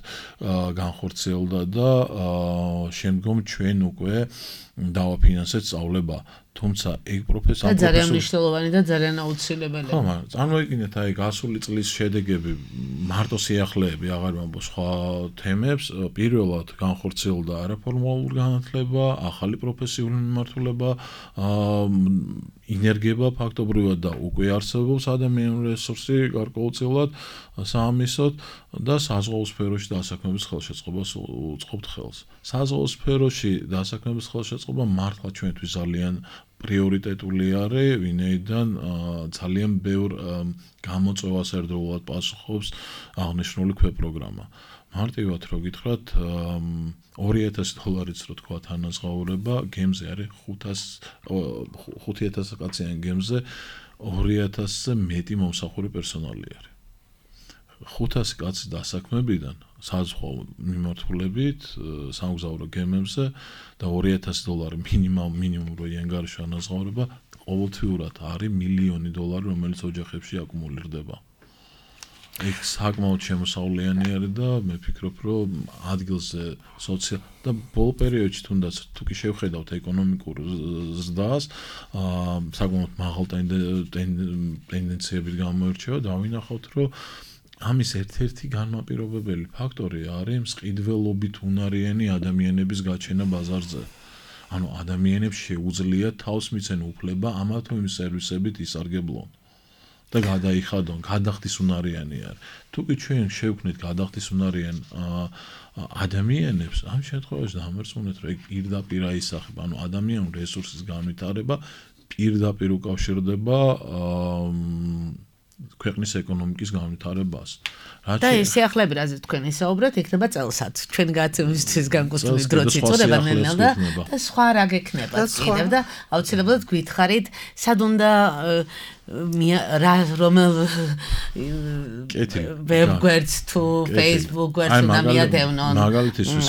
განხორციელდა და შემდგომ ჩვენ უკვე დავაფინანსეთ სწავლება. თუმცა ეგ პროფესია ძალიან მნიშვნელოვანი და ძალიან აუცილებელი. ხო, მაგრამ წარმოიდგინეთ აი გასული წლის შედეგები, მარტო სიახლეები, აღარ ვამბობ სხვა თემებს, პირველად განხორციელდა არაფორმალური განათლება, ახალი პროფესიული მიმართულება, ინერგება ფაქტობრივად და უკვე არსებობს ადამიანური რესურსი გარკვეულწილად საამისოდ და საზღვაო სფეროში დასაქმების ხელშეწყობას უწყობთ ხელს. საზღვაო სფეროში დასაქმების ხელშეწყობა მართლა ჩვენთვის ძალიან პრიორიტეტული არის, ვინაიდან ძალიან ბევრ გამოწვევას ერთდროულად პასუხობს აღნიშნული ქვეპროგრამა. მარტივად რო გითხრათ, $2000 რო თქვა თანაზღაურება, გემზე არის 5000 კაციან გემზე 2000-ზე მეტი მომსახური პერსონალი არის. 500 კაცი დასაქმებიდან საზღვაო მიმართულებით სამგზავრო გემებზე და $2000 მინიმუმ რო იანგარიშო ანაზღაურება ყოველთვიურად არის $1,000,000, რომელიც ოჯახებში აკუმულირდება. ეგ საკმაოდ შემოსავლიანი არის და მე ვფიქრობ, რომ ადგილზე და ბოლო პერიოდში თუნდაც თუ კი შევხედავთ ეკონომიკურ ზრდას, საკმაოდ მაღალ ტენდენციებით გამოირჩევა და ვინახავთ, რომ ამის ერთ-ერთი განმაპირობებელი ფაქტორი არის მწყიდველობით უნარიანი ადამიანების გაჩენა ბაზარზე. ანუ ადამიანებს შეუძლია თავს მიცენ უფლება ამა თუ იმ სერვისებით ისარგებლონ და გადაიხადონ, გადახდის უნარიანი არის. თუ კი ჩვენ შევქმნით გადახდის უნარიან ადამიანებს, ამ შემთხვევაში დამერწმუნეთ, რომ ეგ პირდაპირ აისახება, ანუ ადამიანური რესურსის განვითარება პირდაპირ უკავშირდება ქვეყნის ეკონომიკის განვითარებას. და ეს სიახლეები, რაზეც თქვენ ისაუბრეთ, იქნება წელსაც. ჩვენ გაცემისთვის განკუთვნილი დროც იწურება ნელ-ნელა და სხვა რა გექნება კიდევ და აუცილებლად გითხარით, სად უნდა რომელ ვებგვერდს თუ Facebook გვერდს უნდა მიადევნონ. მაგალითისთვის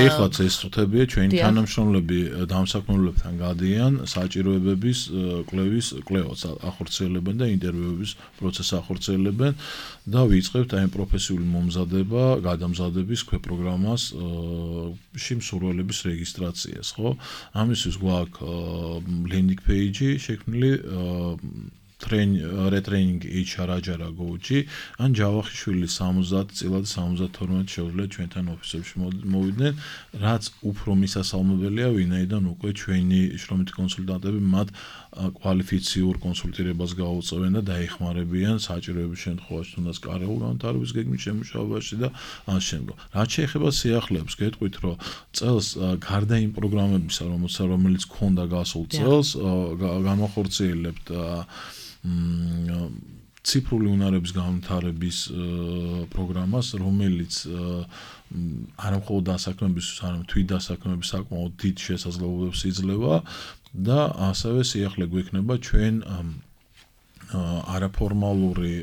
ეხლაც ეს წუთებია ჩვენი თანამშრომლები დამსაქმებლებთან გადიან საჭიროებების კვლევას ახორციელებენ და ინტერვიუების პროცესს ახორციელებენ და ვიწყებთ აი პროფესიული მომზადება, გადამზადების ქვეპროგრამას შემსრულებლების რეგისტრაციას, ხო? ამისთვის გვაქვს landing page შექმნილი retraining HR აჯარა გოუჩი ან ჯავახიშვილი 70 წილად 72 შეუძლია ჩვენთან ოფისებში მოვიდნენ რაც უფრო მისასალმებელია ვინაიდან უკვე ჩვენი შრომითი კონსულტანტები მათ კვალიფიციურ კონსულტირებას გაუწევენ და დაეხმარებიან საჭიროების შემთხვევაში თუნდაც კარიერულ განვითარების გეგმის შემუშავებაში და ამ შემდგომ. რაც შეეხება სიახლეებს, გეტყვით რომ წელს გარდა იმ პროგრამებისა, რომელიც ქონდა გასულ წელს, განვახორციელებთ ციფრული უნარების განვითარების პროგრამას, რომელიც არა მხოლოდ დასაქმებისთვის, არამედ თვითდასაქმების საკმაოდ დიდ შესაძლებლობებს იძლევა და ასევე სიახლე გვექნება ჩვენ არაფორმალური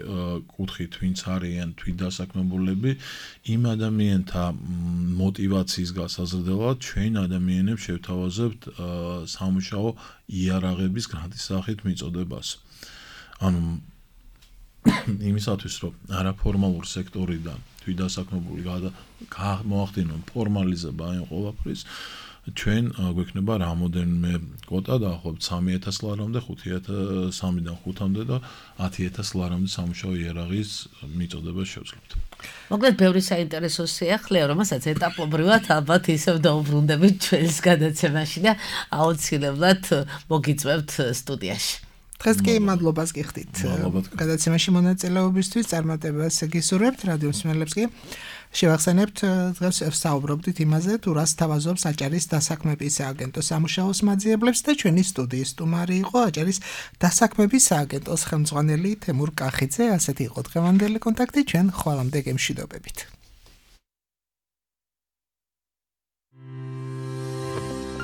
კუთხით ვინც არიან თვითდასაქმებულები იმ ადამიანთა мотиваციის გასაზრდელად ჩვენ ადამიანებს შევთავაზებთ სამუშაო იარაღების გრანტის სახით მიწოდებას. ანუ იმისათვის რომ არაფორმალურ სექტორიდან თვითდასაქმებული მოახდინონ ფორმალიზება იმ ყველაფრის ჩვენ გვექნება რამოდენიმე კვოტა დაახლოებით 3000 ლარამდე 3-დან 5-მდე და 10000 ლარამდე სამუშაო იარაღის მიწოდებას შევძლებთ. მოკლედ ბევრი საინტერესო სიახლეა, რომელსაც ეტაპობრივად ალბათ ისევ დაუბრუნდებით ჩვენს გადაცემაში და აუცილებლად მოგიწევთ სტუდიაში. დღეს კი მადლობას გიხდით. გადაცემაში მონაწილეობისთვის წარმატებას გისურვებთ რადიო მსმენელებს კი. შევახსენებთ დღეს ვსაუბრობდით იმაზე, თუ რას თავაზობს აჭარის დასაქმების სააგენტოს სამუშაოს მაძიებლებს და ჩვენი სტუდიის სტუმარი იყო აჭარის დასაქმების სააგენტოს ხელმძღვანელი თემურ კახიძე. ასეთი იყო დღევანდელი კონტაქტი, ჩვენ ხვალამდე გემშვიდობებით.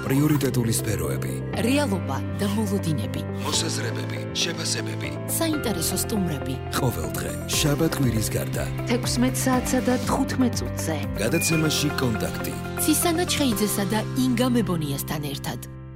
პრიორიტეტული სფეროები, რეალობა და მოლოდინები, მოსაზრებები, შეფასებები, საინტერესო სტუმრები. ყოველდღე შაბათ-კვირის გარდა 16 საათსა და 15 წუთზე. გადაცემაში კონტაქტი. ცისანა ჩხეიძესა და ინგა მებონიასთან ერთად.